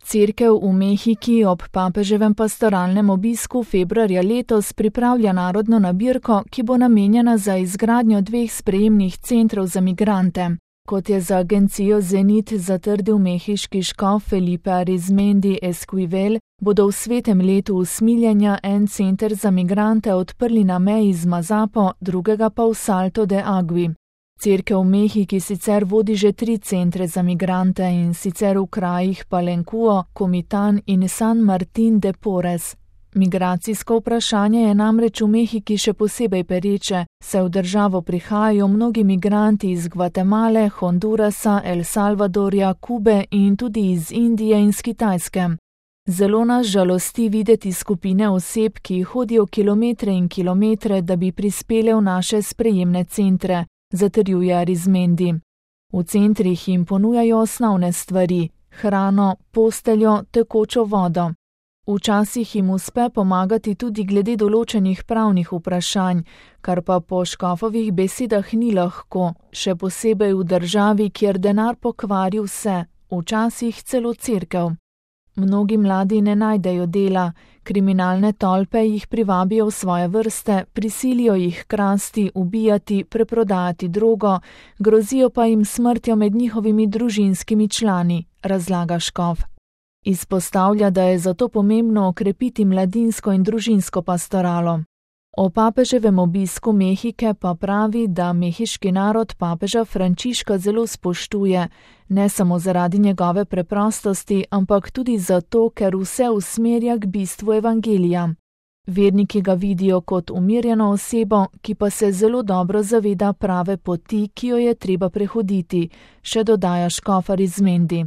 Cerkev v Mehiki ob papeževem pastoralnem obisku februarja letos pripravlja narodno nabirko, ki bo namenjena za izgradnjo 2 sprejemnih centrov za migrante. Kot je za agencijo Zenit zatrdil mehiški škof Felipe Arizmendi Esquivel, bodo v svetem letu usmiljenja en center za migrante odprli na meji z Mazapo, drugega pa v Salto de Agui. Cerkev v Mehiki sicer vodi že 3 centre za migrante, in sicer v krajih Palencuo, Comitán in San Martín de Porres. Migracijsko vprašanje je namreč v Mehiki še posebej pereče, saj v državo prihajajo mnogi migranti iz Gvatemale, Hondurasa, El Salvadorja, Kube in tudi iz Indije in z Kitajske. Zelo nas žalosti videti skupine oseb, ki hodijo kilometre in kilometre, da bi prispele v naše sprejemne centre, zatrjuje Arizmendi. V centrih jim ponujajo osnovne stvari: hrano, posteljo, tekočo vodo. Včasih jim uspe pomagati tudi glede določenih pravnih vprašanj, kar pa po škofovih besedah ni lahko, še posebej v državi, kjer denar pokvari vse, včasih celo cerkev. Mnogi mladi ne najdejo dela, kriminalne tolpe jih privabijo v svoje vrste, prisilijo jih krasti, ubijati, preprodajati drogo, grozijo pa jim smrtjo med njihovimi družinskimi člani, razlaga škof. Izpostavlja, da je zato pomembno okrepiti mladinsko in družinsko pastoralo. O papeževem obisku Mehike pa pravi, da mehiški narod papeža Frančiška zelo spoštuje, ne samo zaradi njegove preprostosti, ampak tudi zato, ker vse usmerja k bistvu evangelija. Verniki ga vidijo kot umirjeno osebo, ki pa se zelo dobro zaveda prave poti, ki jo je treba prehoditi, še dodaja škof Arizmendi.